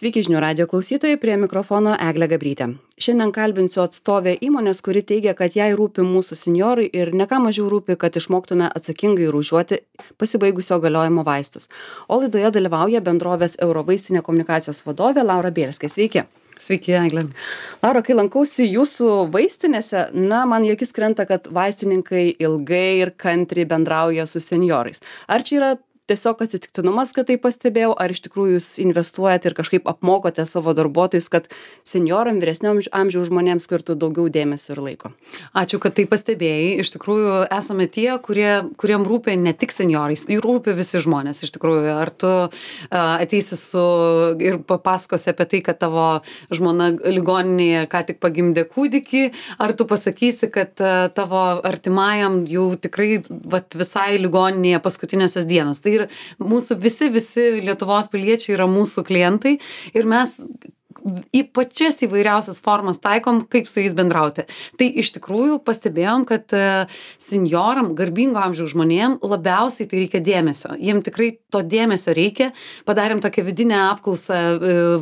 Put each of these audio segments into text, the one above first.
Sveiki žinių radijo klausytojai, prie mikrofono Eglė Gabrytė. Šiandien kalbinsiu atstovę įmonės, kuri teigia, kad jai rūpi mūsų senjorai ir ne ką mažiau rūpi, kad išmoktume atsakingai rūšiuoti pasibaigusio galiojimo vaistus. O laidoje dalyvauja bendrovės Eurovaistinė komunikacijos vadovė Laura Bielskė. Sveiki. Sveiki, Eglė. Laura, kai lankausi jūsų vaistinėse, man į akis krenta, kad vaistininkai ilgai ir kantriai bendrauja su senjorais. Ar čia yra tiesiog atsitiktinumas, kad tai pastebėjau, ar iš tikrųjų jūs investuojate ir kažkaip apmokote savo darbuotojus, kad senjoram, vyresnio amžiaus žmonėms skirtų daugiau dėmesio ir laiko? Ačiū, kad tai pastebėjai. Iš tikrųjų, esame tie, kuriem rūpi ne tik senjorais, jų rūpi visi žmonės. Iš tikrųjų, ar tu ateisi ir papasakosi apie tai, kad tavo žmona ligoninėje ką tik pagimdė kūdikį, ar tu pasakysi, kad tavo artimajam jau tikrai visai ligoninėje paskutinėsios dienos. Tai ir mūsų visi Lietuvos piliečiai yra mūsų klientai ir mes į pačias įvairiausias formas taikom, kaip su jais bendrauti. Tai iš tikrųjų pastebėjom, kad senjoram, garbingo amžiaus žmonėm labiausiai tai reikia dėmesio. Jiem tikrai to dėmesio reikia. Padarėm tokią vidinę apklausą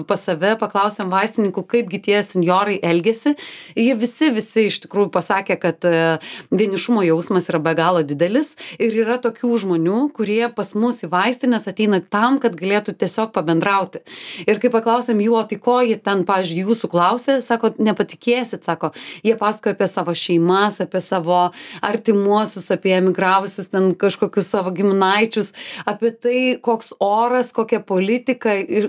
pas save, paklausėm vaistininkų, kaipgi tie senjorai elgiasi. Ir jie visi iš tikrųjų pasakė, kad vienišumo jausmas yra be galo didelis ir yra tokių žmonių, kurie pas mus į vaistinės ateina tam, kad galėtų tiesiog pabendrauti. Ir kai paklausėm jų, o tai ko jie ten, pavyzdžiui, jūsų klausė, sako, nepatikėsit, sako, jie pasakoja apie savo šeimas, apie savo artimuosius, apie emigravusius ten kažkokius savo giminaičius, apie tai, koks oras, kokia politika ir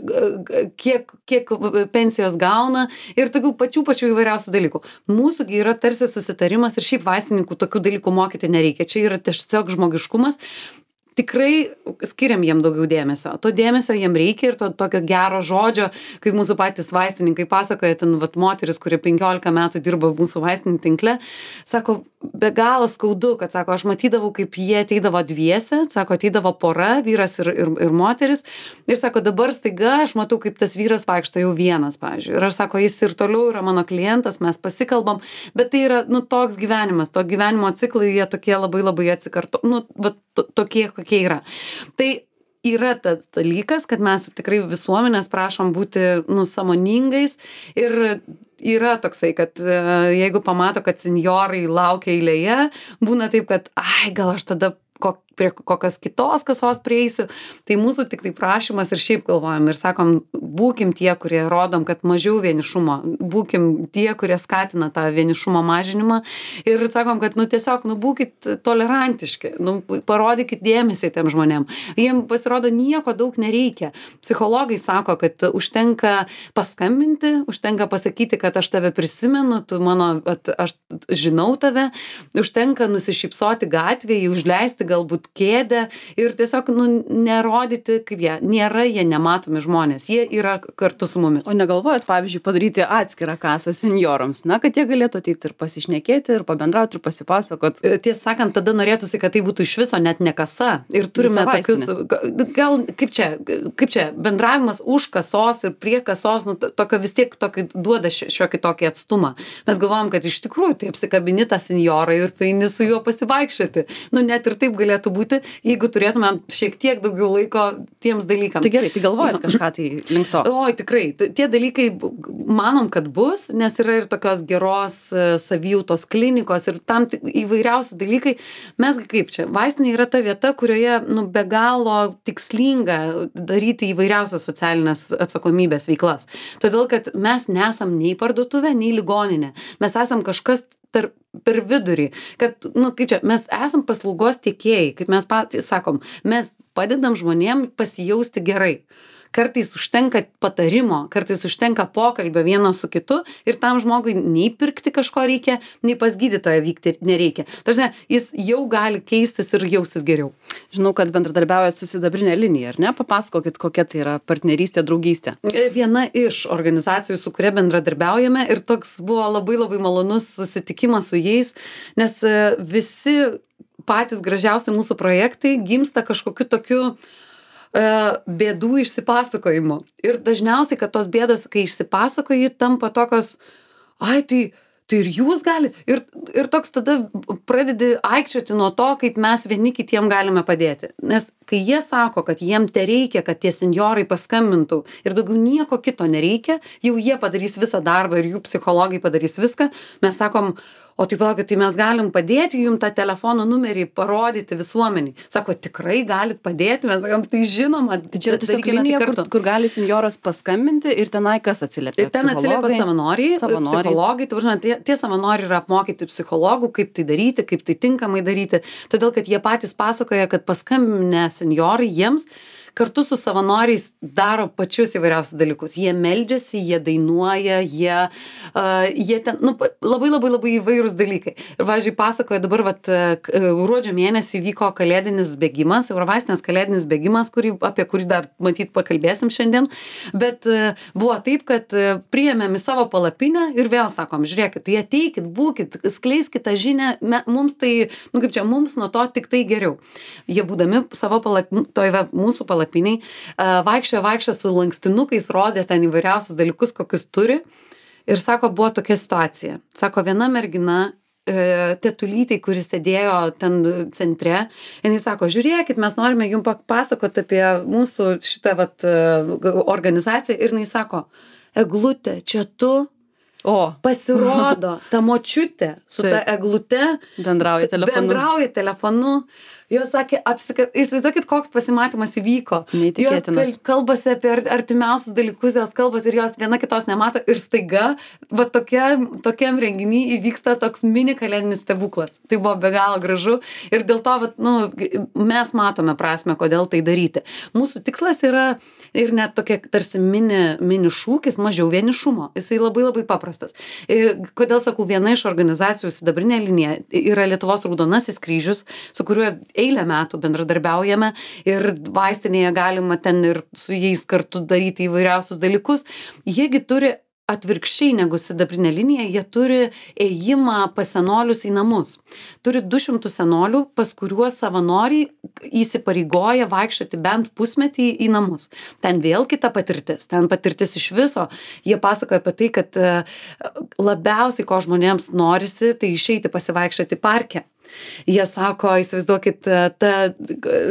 kiek pensijos gauna ir tokių pačių įvairiausių dalykų. Mūsųgi yra tarsi susitarimas ir šiaip vaistininkų tokių dalykų mokyti nereikia. Čia yra tiesiog žmogiškumas. Tikrai skiriam jiem daugiau dėmesio. To dėmesio jiem reikia ir to tokio gero žodžio, kaip mūsų patys vaistininkai pasakoja, ten moteris, kuri 15 metų dirba mūsų vaistinių tinkle, sako, be galo skaudu, kad sako, aš matydavau, kaip jie ateidavo dviese, sako, ateidavo pora, vyras ir moteris, ir sako, dabar staiga aš matau, kaip tas vyras vaikšto jau vienas, pavyzdžiui. Ir aš sako, jis ir toliau yra mano klientas, mes pasikalbam, bet tai yra, toks gyvenimas, to gyvenimo ciklai, jie tokie labai atsikarto, tokie, kokie yra. Tai yra tas dalykas, kad mes tikrai visuomenės prašom būti, sąmoningais ir yra toksai, kad jeigu pamato, kad senjorai laukia eilėje, būna taip, kad, gal aš tada prie kokios kitos kasos prieisiu. Tai mūsų tik tai prašymas ir šiaip galvojam ir sakom, būkim tie, kurie rodom, kad mažiau vienišumo, būkim tie, kurie skatina tą vienišumo mažinimą ir sakom, kad tiesiog, būkit tolerantiški, parodykit dėmesį tiem žmonėm. Jiem pasirodo nieko daug nereikia. Psichologai sako, kad užtenka paskambinti, užtenka pasakyti, kad aš tave prisimenu, aš žinau tave, užtenka nusišypsoti gatvėje, užleisti galbūt kėdę ir tiesiog nerodyti, kaip jie nematomi žmonės, jie yra kartu su mumis. O negalvojat, pavyzdžiui, padaryti atskirą kasą senjorams, kad jie galėtų ateiti ir pasišnekėti, ir pabendrauti, ir pasipasakot? Tiesą sakant, tada norėtųsi, kad tai būtų iš viso net ne kasa. Ir turime tokius, gal kaip čia, bendravimas už kasos ir prie kasos, tokio vis tiek duoda šiokį tokį atstumą. Mes galvojam, kad iš tikrųjų tai apsikabini tą senjorą ir tu eini su juo pasivaikščioti. Net ir taip galėtų būti, jeigu turėtumėm šiek tiek daugiau laiko tiems dalykams. Tai gerai, tai galvojat kažką tai link to? Oi, tikrai. Tie dalykai manom, kad bus, nes yra ir tokios geros savijautos klinikos ir tam įvairiausi dalykai. Mes kaip čia, vaistinė yra ta vieta, kurioje be galo tikslinga daryti įvairiausias socialinės atsakomybės veiklas. Todėl, kad mes nesam nei parduotuvė, nei ligoninė. Mes esam kažkas per vidurį, kad, kaip čia, mes esam paslaugos tiekėjai, kaip mes patys sakom, mes padedam žmonėm pasijausti gerai. Kartais užtenka patarimo, kartais užtenka pokalbio vieno su kitu ir tam žmogui nei pirkti kažko reikia, nei pas gydytoją vykti nereikia. Tarsi, jis jau gali keistis ir jaustis geriau. Žinau, kad bendradarbiaujat su Sidabrinė linija, ar ne? Papasakokit, kokia tai yra partnerystė, draugystė. Viena iš organizacijų, su kuria bendradarbiaujame ir toks buvo labai malonus susitikimas su jais, nes visi patys gražiausi mūsų projektai gimsta kažkokiu tokiu bėdų išsipasakojimu. Ir dažniausiai, kad tos bėdos, kai išsipasakoji, tampa tokios, tai ir jūs galite. Ir toks tada pradedi aikčioti nuo to, kaip mes vieni kitiem galime padėti. Nes kai jie sako, kad jiem tereikia, kad tie senjorai paskambintų ir daugiau nieko kito nereikia, jau jie padarys visą darbą ir jų psichologai padarys viską, mes sakom, o tai palaukit, tai mes galim padėti jum tą telefono numerį parodyti visuomeniai. Sako, tikrai galit padėti, mes sakom, tai žinoma, Tai čia yra tiesiog linija, kur gali senjoras paskambinti ir tenai kas atsiliepia? Ir ten atsiliepia savanoriai, psichologai, tai važiuojant, tie savanoriai yra apmokyti psichologų, kaip tai daryti, kaip tai tinkamai daryti, todėl kad jie patys pasakoja, kad paskambinę senjorai jiems kartu su savanoriais daro pačius įvairiausius dalykus. Jie meldžiasi, jie dainuoja, jie ten, labai įvairūs dalykai. Ir, pavyzdžiui, pasakoja dabar, gruodžio mėnesį vyko kalėdinis bėgimas, Eurovaistinės kalėdinis bėgimas, apie kurį dar matyt pakalbėsim šiandien, bet buvo taip, kad priėmėm į savo palapinę ir vėl sakom, žiūrėkit, tai ateikit, būkit, skleiskit tą žinią, mums tai, mums nuo to tik tai geriau. Jie būdami savo mūsų palapiniai, vaikščiojo su lankstinukais, rodė ten įvairiausius dalykus, kokius turi. Ir sako, buvo tokia situacija. Sako, viena mergina, tetulytei, kuris sėdėjo ten centre, jinai sako, žiūrėkit, mes norime jums papasakoti apie mūsų šitą organizaciją. Ir jinai sako, Eglutė, čia tu? Pasirodo, ta močiutė su ta eglute bendrauja telefonu. Jos sakė, įsivaizduokit, koks pasimatymas įvyko. Neįtikėtinas. Jos kalbasi apie artimiausius dalykus, jos kalbasi ir jos viena kitos nemato ir staiga, tokiam renginy įvyksta toks mini kalėdinis stebuklas. Tai buvo be galo gražu ir dėl to, mes matome prasmę, kodėl tai daryti. Mūsų tikslas yra ir net tokia tarsi mini šūkis, mažiau vienišumo. Jisai labai paprastas. Kodėl sakau, viena iš organizacijų Sidabrinė linija yra Lietuvos Raudonasis kryžius, su kuriuo eilę metų bendradarbiaujame ir vaistinėje galima ten ir su jais kartu daryti įvairiausius dalykus. Jiegi turi atvirkščiai negu Sidabrinė linija, jie turi ėjimą pas senolius į namus. Turi 200 senolių, pas kuriuos savanoriai įsipareigoja vaikščioti bent pusmetį į namus. Ten vėl kita patirtis, ten patirtis iš viso. Jie pasakoja apie tai, kad labiausiai, ko žmonėms norisi, tai išeiti pasivaikščioti parke. Jie sako, įsivaizduokit, ta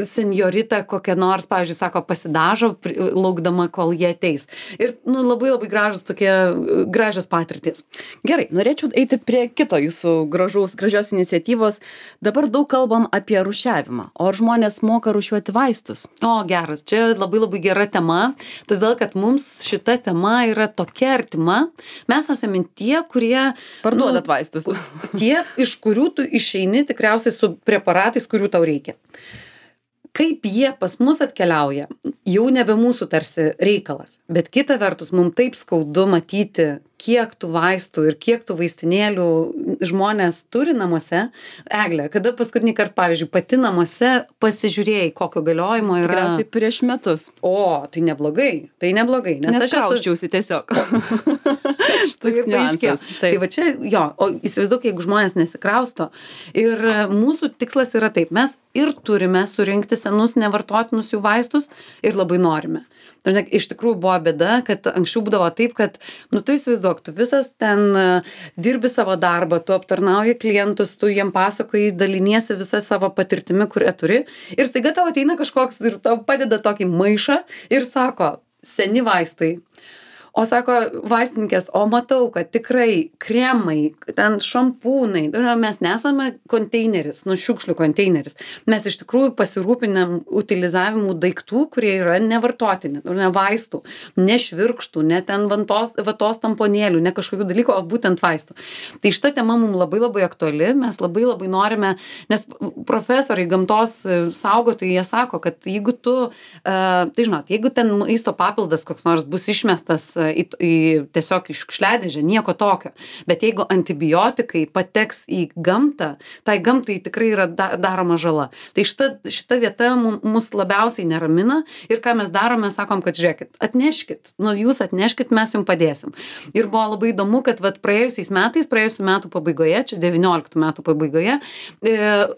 senjorita kokia nors, pavyzdžiui, sako, pasidažo, laukdama, kol jie ateis. Ir labai gražios patirtis. Gerai, norėčiau eiti prie kito jūsų gražios iniciatyvos. Dabar daug kalbam apie rūšiavimą. O ar žmonės moka rūšiuoti vaistus? Geras. Čia labai gera tema, todėl, kad mums šita tema yra tokia artima. Mes esame tie, kurie parduodat vaistus. Tie, iš kurių tu išeini tikriausiai su preparatais, kurių tau reikia. Kaip jie pas mus atkeliauja, jau nebe mūsų tarsi reikalas. Bet kita vertus, mums taip skaudu matyti, kiek tų vaistų ir kiek tų vaistinėlių žmonės turi namuose. Egle, kada paskutinį kartą, pavyzdžiui, pati namuose pasižiūrėjai, kokio galiojimo yra? Tikriausiai prieš metus. Tai neblogai. Nes aš krauščiausi tiesiog. Toks niuansas. Tai va čia, o įsivaizduok, jeigu žmonės nesikrausto. Ir mūsų tikslas yra taip, mes ir turime surinkti senus nevartotinus jų vaistus ir labai norime. Iš tikrųjų buvo bėda, kad anksčiau būdavo taip, kad, tu įsivaizduok, tu visas ten dirbi savo darbą, tu aptarnauji klientus, tu jiem pasakoji, daliniesi visą savo patirtimi, kurią turi. Ir staiga tau ateina kažkoks ir tau padeda tokį maišą ir sako, seni vaistai. O sako vaistininkės, matau, kad tikrai kremai, ten šampūnai, mes nesame konteineris, šiukšlių konteineris. Mes iš tikrųjų pasirūpinam utilizavimu daiktų, kurie yra nevartotini, ne vaistų, ne švirkštų, ne ten vatos tamponėlių, ne kažkokių dalykų, o būtent vaistų. Tai šita tema mums labai aktuali, mes labai norime, nes profesoriai, gamtos saugotojai, jie sako, kad jeigu tu, jeigu ten maisto papildas koks nors bus išmestas tiesiog iš šiukšliadėžę, nieko tokio. Bet jeigu antibiotikai pateks į gamtą, tai gamtai tikrai yra daroma žala. Tai šita vieta mus labiausiai neramina ir ką mes darome, sakom, kad žiūrėkit, atneškit, jūs atneškit, mes jums padėsim. Ir buvo labai įdomu, kad praėjusių metų pabaigoje, čia 19 metų pabaigoje,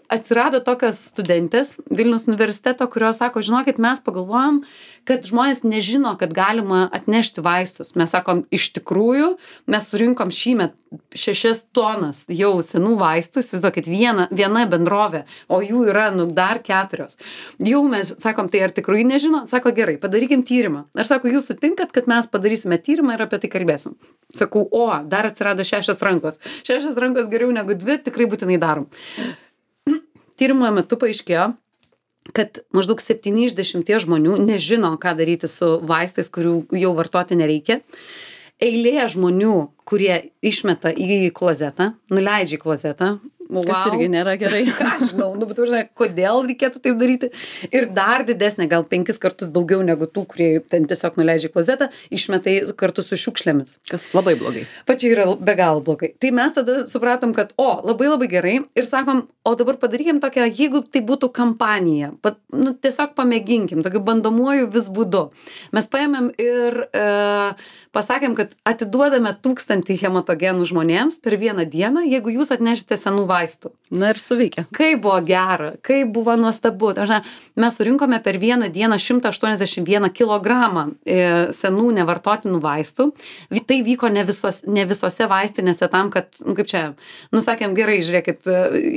atsirado tokios studentės Vilniaus universiteto, kurios sako, žinokit, mes pagalvojom, kad žmonės nežino, kad galima atnešti vaistų vaistus. Mes sakom, iš tikrųjų, mes surinkom šįmet 6 tonas jau senų vaistų, įsivaizduokit, viena bendrovė, o jų yra, dar 4. Jau mes sakom, tai ar tikrai nežino? Sako, gerai, padarykim tyrimą. Aš sako, jūs sutinkat, kad mes padarysime tyrimą ir apie tai kalbėsim. Sakau, dar atsirado 6 rankos. 6 rankos geriau negu 2, tikrai būtinai darom. Tyrimo metu paaiškėjo, kad maždaug 7 iš 10 žmonių nežino, ką daryti su vaistais, kurių jau vartoti nereikia. Eilė žmonių, kurie išmeta į klozetą, nuleidžia į klozetą. Kas irgi nėra gerai. Ką aš žinau, bet žinai, kodėl reikėtų taip daryti. Ir dar didesnė, gal 5 kartus daugiau negu tų, kurie ten tiesiog nuleidžia į klozetą, išmeta kartu su šiukšlėmis. Kas labai blogai. Pačiai yra be galo blogai. Tai mes tada supratom, kad labai labai gerai ir sakom, o dabar padarykim tokią, jeigu tai būtų kampanija, tiesiog pamėginkim, tokiu bandomuoju vis būdu. Mes paėmėm ir pasakėm, kad atiduodame 1000 hematogenų žmonėms per vieną dieną, jeigu jūs atnešite senų vaistų. Na ir suveikia. Kaip buvo gera, kaip buvo nuostabu. Mes surinkome per vieną dieną 181 kilogramą senų nevartotinų vaistų. Tai vyko ne visose vaistinėse tam, kad, kaip čia, sakėm, gerai, žiūrėkit,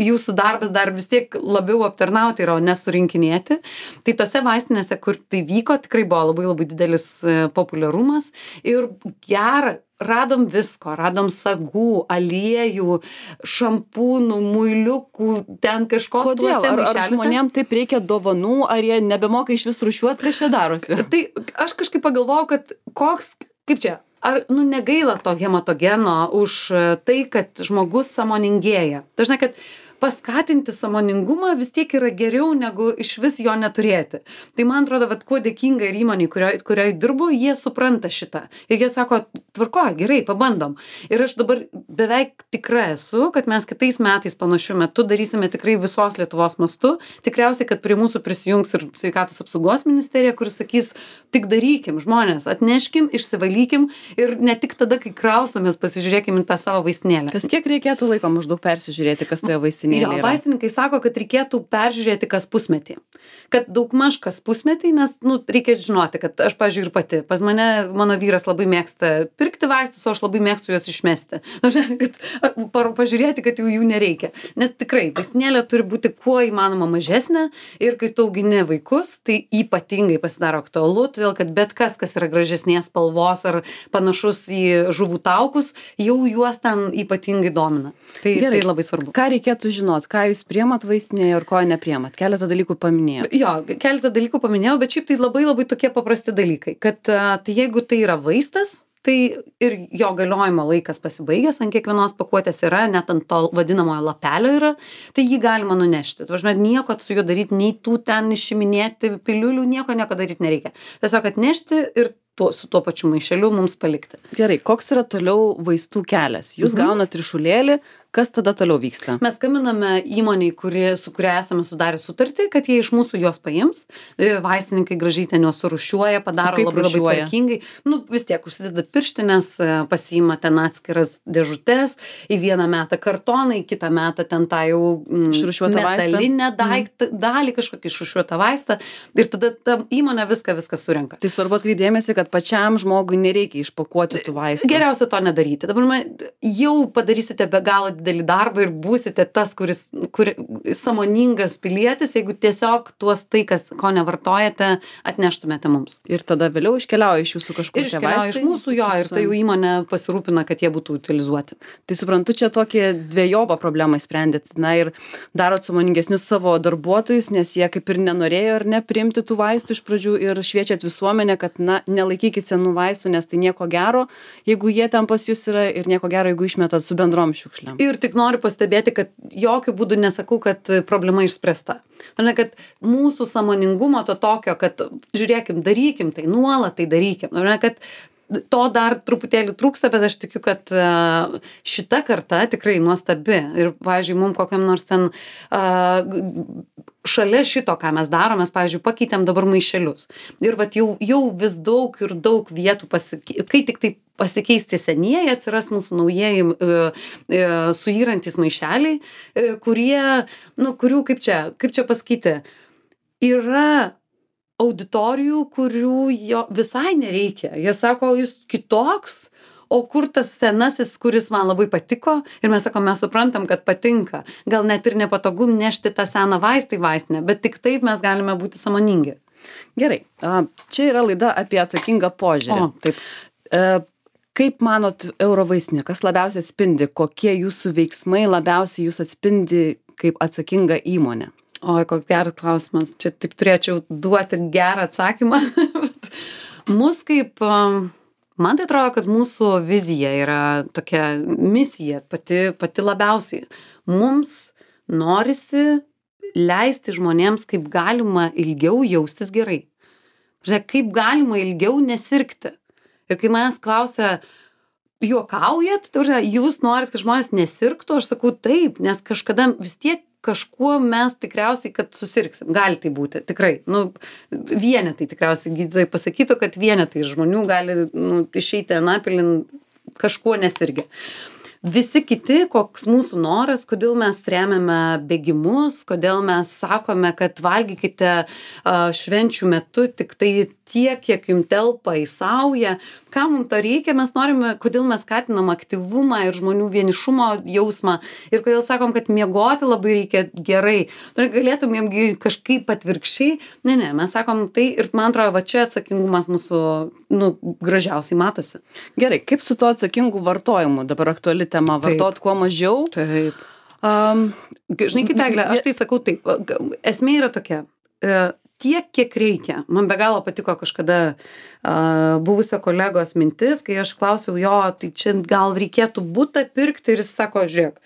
jūsų darbas dar vis tiek labiau aptarnauti yra, o nesurinkinėti. Tai tose vaistinėse, kur tai vyko, tikrai buvo labai labai didelis populiarumas ir gera. Radom visko, radom sagų, aliejų, šampūnų, muiliukų, ten kažko. Kodėl? Ar žmonėm taip reikia dovanų, ar jie nebemoka iš vis rūšiuot, kas čia darosi? Tai aš kažkaip pagalvojau, kad kaip čia, ar negaila to hematogeno už tai, kad žmogus sąmoningėja. Dažnai, kad paskatinti sąmoningumą vis tiek yra geriau negu iš vis jo neturėti. Tai man atrodo, kuo dėkinga ir įmonė, kurioje dirbu, jie supranta šitą. Ir jie sako, tvarko, gerai, pabandom. Ir aš dabar beveik tikra esu, kad mes kitais metais panašiu metu darysime tikrai visos Lietuvos mastu. Tikriausiai, kad prie mūsų prisijungs ir Sveikatos apsaugos ministerija, kuris sakys, tik darykim, žmonės, atneškim, išsivalykim ir ne tik tada, kai kraustamės, pasižiūrėkim į tą savo vaistinėlę. Kas kiek reikėtų laiko maždaug persižiūrėti, kas toje vaistinėlėje? Jo, vaistininkai sako, kad reikėtų peržiūrėti kas pusmetį. Kad daugmaž kas pusmetį, nes reikia žinoti, kad aš, pavyzdžiui, ir pati. Pas mano vyras labai mėgsta pirkti vaistus, o aš labai mėgstu juos išmesti. Kad pažiūrėti, kad jų nereikia. Nes tikrai, vaistinėlė turi būti kuo įmanoma mažesnė ir kai tu augini vaikus, tai ypatingai pasidaro aktualu, todėl kad bet kas yra gražesnės spalvos ar panašus į žuvų taukus, jau juos ten ypatingai domina. Tai labai svarbu. Ką reikėtų žinot, ką jūs priemat vaistinėje ir ko nepriemat? Keletą dalykų paminėjau. Jo, keletą dalykų paminėjau, bet šiaip tai labai labai tokie paprasti dalykai, kad tai jeigu tai yra vaistas, tai ir jo galiojimo laikas pasibaigęs, ant kiekvienos pakuotės yra, net ant to vadinamojo lapelio yra, tai jį galima nunešti. Tvažmet, nieko su juo daryti, nei tų ten išiminėti piliulių, nieko daryti nereikia. Tiesiog atnešti ir su tuo pačiu maišeliu mums palikti. Gerai, koks yra toliau vaistų kelias? Jūs gaunat ryšulėlį, kas tada toliau vyksta? Mes skambiname įmoniai, su kuria esame sudarę sutartį, kad jie iš mūsų juos paims. Vaistininkai gražiai ten juos surūšiuoja, padaro labai labai tvarkingai. Vis tiek užsideda pirštinės, pasiima ten atskiras dėžutes, į vieną metą kartoną, į kitą metą ten tą jau metalinę dalį, kažkokį išrūšiuotą vaistą. Ir tada ta įmonė viską surenka. Tai svarbu atkreipti dėmesį, kad pačiam žmogui nereikia išpakuoti tų vaistų. Geriausia to nedaryti. Dabar jau padarysite be galo didelį darbą ir būsite tas, kuris sąmoningas pilietis, jeigu tiesiog ko nevartojate, atneštumėte mums. Ir tada vėliau iškeliauja iš jūsų kažkur tie vaistai. Ir iškeliauja iš mūsų ir tai jau įmonė pasirūpina, kad jie būtų utilizuoti. Tai suprantu, čia tokie dvejopą problemą sprendėt. Ir darot sąmoningesnius savo darbuotojus, nes jie kaip ir nenorėjo ir nepriimti tų vaistų iš pradžių ir šviečiat visuomenę, kad nelaikykit senų vaistų, nes tai nieko gero, jeigu jie ten pas jūs yra ir nieko gero, jeigu išmetat su bendrom šiukšlėm. Ir tik noriu pastebėti, kad jokių būdų nesakau, kad problema išspręsta. Kad mūsų sąmoningumo to tokio, kad žiūrėkim, darykim tai, nuolat tai darykim. Kad to dar truputėlį trūksta, bet aš tikiu, kad šita karta tikrai nuostabi. Ir, pavyzdžiui, mums kokiam nors ten šalia šito, ką mes darom, mes, pavyzdžiui, pakeitėm dabar maišelius. Ir jau vis daug ir daug vietų, kai tik tai pasikeis tie senieji, atsiras mūsų naujieji suyrantis maišeliai, kurių, kaip čia pasakyti, yra auditorijų, kurių jo visai nereikia. Jie sako, jūs kitoks, o kur tas senasis, kuris man labai patiko, ir mes sakom, mes suprantam, kad patinka. Gal net ir nepatogu nešti tą seną vaistą į vaistinę, bet tik taip mes galime būti sąmoningi. Gerai, čia yra laida apie atsakingą požiūrį. O, taip. Kaip manot, Eurovaistinė, kas labiausiai atspindi, kokie jūsų veiksmai labiausiai jūs atspindi kaip atsakinga įmonė? Oi, koks geras klausimas. Čia taip turėčiau duoti gerą atsakymą. Mus kaip, man tai atrodo, kad mūsų vizija yra tokia misija, pati labiausiai. Mums norisi leisti žmonėms kaip galima ilgiau jaustis gerai. Žiūrėk, kaip galima ilgiau nesirgti. Ir kai manęs klausia, juokaujat, jūs norit, kad žmonės nesirgtų, aš sakau taip, nes kažkada vis tiek kažkuo mes tikriausiai, kad susirgsim. Gali tai būti, tikrai. Vienetai tikriausiai gydytojai pasakytų, kad vienetai žmonių gali išeiti anapilin kažkuo nesirgę. Visi kiti, koks mūsų noras, kodėl mes remiame bėgimus, kodėl mes sakome, kad valgykite švenčių metu tik tai tiek, kiek jums telpa į saują. Ką mums to reikia, mes norime, kodėl mes skatinam aktyvumą ir žmonių vienišumo jausmą ir kodėl sakom, kad miegoti labai reikia gerai. Galėtum jiems kažkaip atvirkščiai. Ne, mes sakom tai ir man atrodo, va čia atsakingumas mūsų gražiausiai matosi. Gerai, kaip su tuo atsakingu vartojimu? Dabar aktuali tema, vartot kuo mažiau. Taip. Žinai, kaip Eglė, aš tai sakau taip. Esmė yra tokia. Tiek, kiek reikia. Man be galo patiko kažkada buvusio kolegos mintis, kai aš klausiau jo, tai čia gal reikėtų butą pirkti ir jis sako, žiūrėk,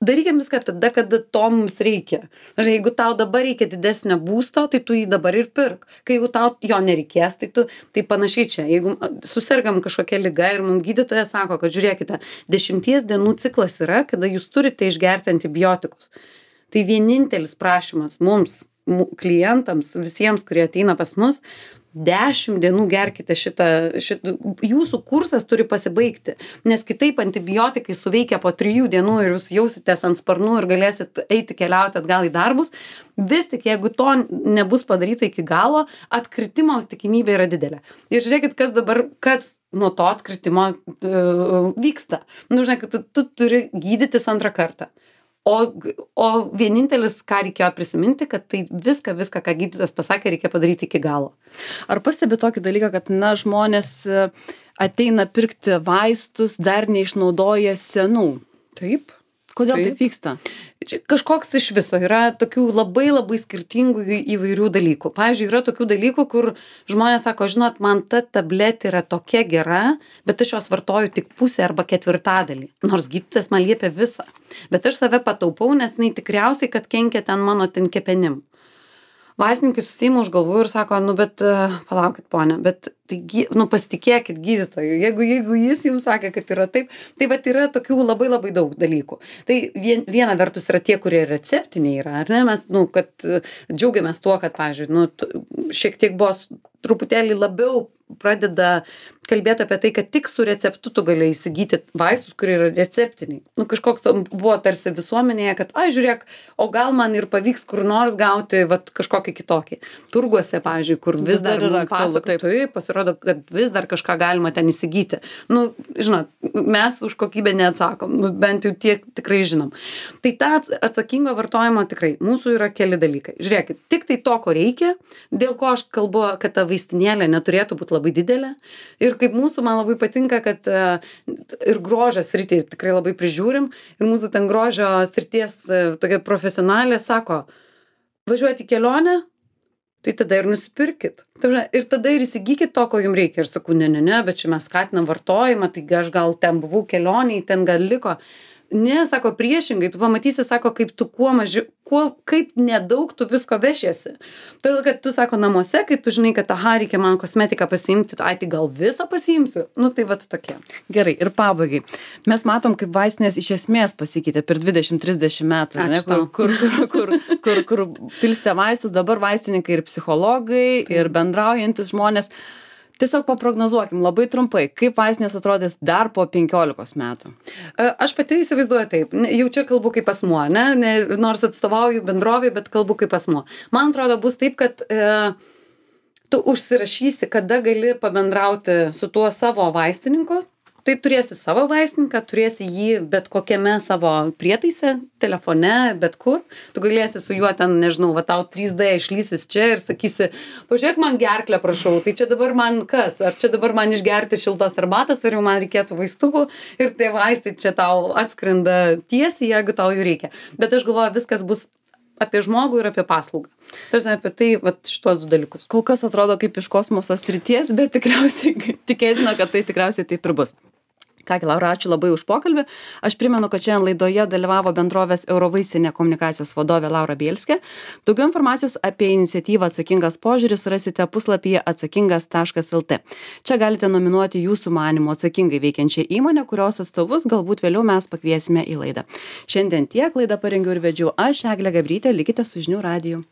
darykim viską tada, kada to mums reikia. Jeigu tau dabar reikia didesnio būsto, tai tu jį dabar ir pirk. Kai jeigu tau jo nereikės, tai panašiai čia. Jeigu susirgam kažkokia liga ir mums gydytojas sako, kad žiūrėkite, 10 dienų ciklas yra, kada jūs turite išgerti antibiotikus. Tai vienintelis prašymas mums, klientams, visiems, kurie ateina pas mus, 10 dienų gerkite šitą, jūsų kursas turi pasibaigti, nes kitaip antibiotikai suveikia po 3 dienų ir jūs jausitės ant sparnų ir galėsit eiti keliauti atgal į darbus. Vis tik, jeigu to nebus padaryta iki galo, atkritimo tikimybė yra didelė. Ir žiūrėkit, kas nuo to atkritimo vyksta. Žinai, kad tu turi gydytis antrą kartą. O vienintelis, ką reikėjo prisiminti, kad tai viską, ką gydytojas pasakė, reikia padaryti iki galo. Ar pastebi tokį dalyką, kad žmonės ateina pirkti vaistus, dar neišnaudoja senų? Taip. Kodėl taip vyksta? Čia kažkoks iš viso yra tokių labai labai skirtingų įvairių dalykų. Pavyzdžiui, yra tokių dalykų, kur žmonės sako, žinot, man ta tabletė yra tokia gera, bet aš jos vartoju tik pusę arba ketvirtadalį. Nors gydytojas man liepia visą. Bet aš save pataupau, nes jinai tikriausiai, kad kenkia ten mano kepenim. Vaistininkai susiima už galvų ir sako, bet palaukit, ponia, bet tai, pasitikėkit gydytoju. Jeigu jis jums sakė, kad yra taip, tai vat yra tokių labai labai daug dalykų. Tai viena vertus yra tie, kurie receptiniai yra, ar ne? Mes, kad džiaugiamės tuo, kad, pavyzdžiui, šiek tiek buvo truputėlį labiau pradeda kalbėti apie tai, kad tik su receptu tu gali įsigyti vaistus, kurie yra receptiniai. Kažkoks buvo tarsi visuomenėje, kad, žiūrėk, o gal man ir pavyks kur nors gauti kažkokį kitokį. Turguose, pavyzdžiui, kur vis dar yra pasako, pasirodo, kad vis dar kažką galima ten įsigyti. Žinot, mes už kokybę neatsakom, bent jau tiek tikrai žinom. Tai tą atsakingo vartojimo tikrai, mūsų yra keli dalykai. Žiūrėkit, tik tai to, ko reikia, dėl ko aš kalbu, kad ta vaistinėlė neturėtų būti labai didelė. Ir kaip mūsų, man labai patinka, kad ir grožio sritį tikrai labai prižiūrim. Ir mūsų ten grožio srities tokia profesionalė sako, važiuoti į kelionę, tai tada ir nusipirkit. Ir tada ir įsigykit to, ko jums reikia. Ir sakau, ne, bet čia mes skatinam vartojimą, tai aš gal ten buvau kelioniai, ten gal liko. Ne, sako, priešingai, tu pamatysi, sako, kaip tu kaip nedaug tu visko vešiesi. Todėl, kad tu, sako, namuose, kai tu žinai, kad reikia man kosmetiką pasiimti, tai gal visą pasiimsiu. Tai vat tokie. Gerai, ir pabaigai. Mes matom, kaip vaistinės iš esmės pasikeitė per 20-30 metų, ne, kur pilstė vaistus, dabar vaistininkai ir psichologai, ir bendraujantis žmonės. Tiesiog paprognozuokim labai trumpai, kaip vaistinės atrodys dar po 15 metų. Aš pati įsivaizduoju taip, jau čia kalbu kaip asmuo, nors atstovauju bendrovį, bet kalbu kaip asmuo. Man atrodo, bus taip, kad tu užsirašysi, kada gali pabendrauti su tuo savo vaistininku. Tai turėsi savo vaistininką, turėsi jį bet kokiame savo prietaise, telefone, bet kur. Tu galėsi su juo ten, nežinau, va tau 3D išlysis čia ir sakysi, pažiūrėk man gerklę, prašau, tai čia dabar man kas? Ar čia dabar man išgerti šiltos arbatos, ar jau man reikėtų vaistukų ir tie vaistai čia tau atskrenda tiesiai, jeigu tau jų reikia. Bet aš galvoju, viskas bus apie žmogų ir apie paslaugą. Tarsi apie tai, vat, šitos du dalykus. Kol kas atrodo kaip iš kosmoso srities, bet tikriausiai tikėtina, kad tai tikriausiai taip ir bus. Kągi, Laura, ačiū labai už pokalbį. Aš primenu, kad šiandien laidoje dalyvavo bendrovės Eurovaisinė komunikacijos vadovė Laura Bielskė. Daugiau informacijos apie iniciatyvą Atsakingas požiūris rasite puslapyje atsakingas.lt. Čia galite nominuoti jūsų manymu atsakingai veikiančią įmonę, kurios atstovus galbūt vėliau mes pakviesime į laidą. Šiandien tiek, laidą parengiau ir vedžiau aš, Eglė Gabrytė, likite su Žinių radiju.